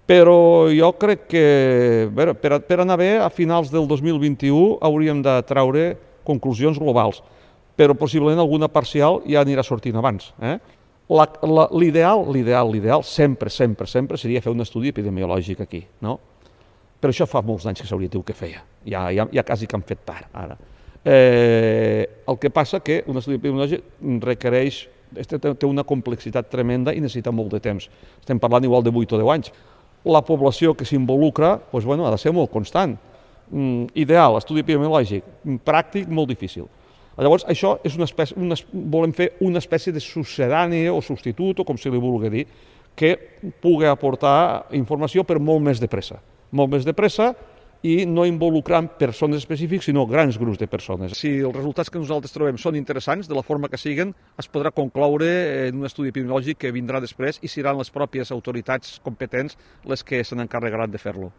Però jo crec que per anar bé, a finals del 2021 hauríem de treure conclusions globals, però possiblement alguna parcial ja anirà sortint abans. L'ideal, sempre seria fer un estudi epidemiològic aquí, no? Però això fa molts anys que s'hauria dit que feia, ja quasi que han fet tard ara. El que passa que un estudi epidemiològic requereix, té una complexitat tremenda i necessita molt de temps. Estem parlant igual de 8 o 10 anys. La població que s'involucra ha de ser molt constant. Ideal, estudi epidemiològic, pràctic, molt difícil. Llavors, això és volem fer una espècie de succedani o substitut, o com se li vulgui dir, que pugui aportar informació per molt més de pressa. Molt més de pressa i no involucrant persones específiques, sinó grans grups de persones. Si els resultats que nosaltres trobem són interessants, de la forma que siguen, es podrà concloure en un estudi epidemiològic que vindrà després i seran les pròpies autoritats competents les que se n'encarregaran de fer-lo.